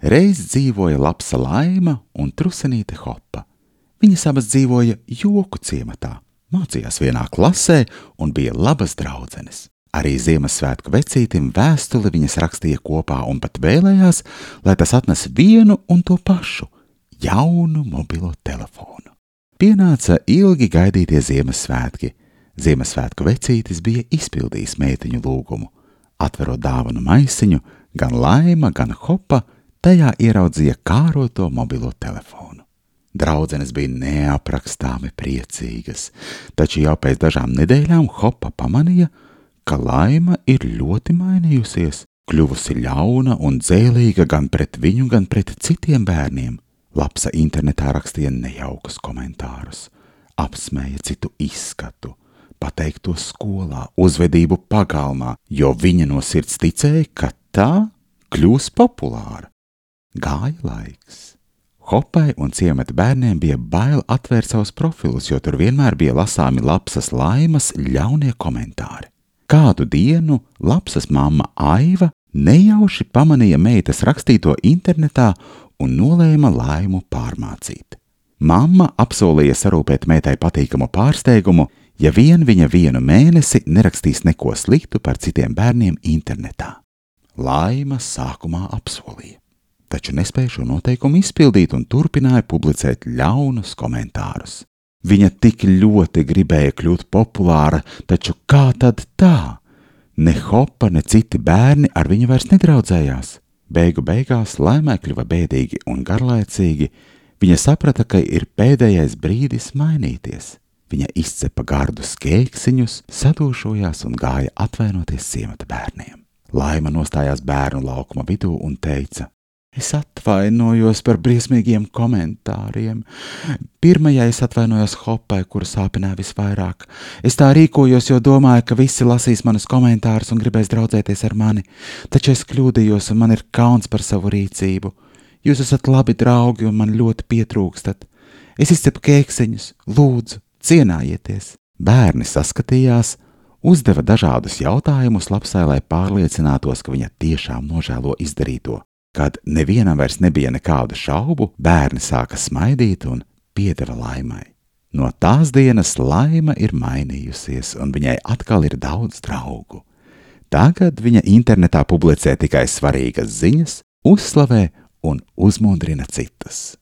Reiz dzīvoja lapsa Laima un trusenīte Hopa. Viņas abas dzīvoja joku ciematā, mācījās vienā klasē un bija labas draudzenes. Arī Ziemassvētku vecītim vēstuli viņas rakstīja kopā un pat vēlējās, lai tas atnes vienu un to pašu – jaunu mobilo telefonu. Pienāca ilgi gaidītie Ziemassvētki. Ziemassvētku vecītis bija izpildījis meitiņu lūgumu. Atverot dāvanu maisiņu, gan Laima, gan Hopa tajā ieraudzīja kāroto mobilo telefonu. Draudzenes bija neaprakstāmi priecīgas, taču jau pēc dažām nedēļām Hopa pamanīja, ka Laima ir ļoti mainījusies, kļuvusi ļauna un dzēlīga gan pret viņu, gan pret citiem bērniem. Lapsa internetā rakstīja nejaukus komentārus, apsmēja citu izskatu, pateikto skolā, uzvedību pagalmā, jo viņa no sirds ticēja, ka tā kļūs populāra. Gāja laiks. Hopai un ciemata bērniem bija bail atvērt savus profilus, jo tur vienmēr bija lasāmi Lapsas Laimas ļaunie komentāri. Kādu dienu Lapsas mamma Aiva nejauši pamanīja meitas rakstīto internetā un nolēma Laimu pārmācīt. Mamma apsolīja sarūpēt meitai patīkamu pārsteigumu, ja vien viņa vienu mēnesi nerakstīs neko sliktu par citiem bērniem internetā. Laima sākumā apsolīja, taču nespēja šo noteikumu izpildīt un turpināja publicēt ļaunus komentārus. Viņa tik ļoti gribēja kļūt populāra, taču kā tad tā? Ne Hopa, ne citi bērni ar viņu vairs nedraudzējās. Beigu beigās Laimai kļuva bēdīgi un garlaicīgi. Viņa saprata, ka ir pēdējais brīdis mainīties. Viņa izcepa gardus kēksiņus, sadūšojās un gāja atvainoties ciemata bērniem. Laima nostājās bērnu laukuma vidū un teica: Es atvainojos par briesmīgiem komentāriem. Pirmajai es atvainojos Hopai, kuru sāpināja visvairāk. Es tā rīkojos, jo domāju, ka visi lasīs manus komentārus un gribēs draudzēties ar mani, taču es kļūdījos un man ir kauns par savu rīcību. Jūs esat labi draugi un man ļoti pietrūkstat. Es izcepu kēksiņus, lūdzu, cienājieties. Bērni saskatījās, uzdeva dažādus jautājumus Lapsai, lai pārliecinātos, ka viņa tiešām nožēlo izdarīto. Kad nevienam vairs nebija nekādu šaubu, bērni sāka smaidīt un piedeva Laimai. No tās dienas Laima ir mainījusies un viņai atkal ir daudz draugu. Tagad viņa internetā publicē tikai svarīgas ziņas, uzslavē un uzmundrina citus.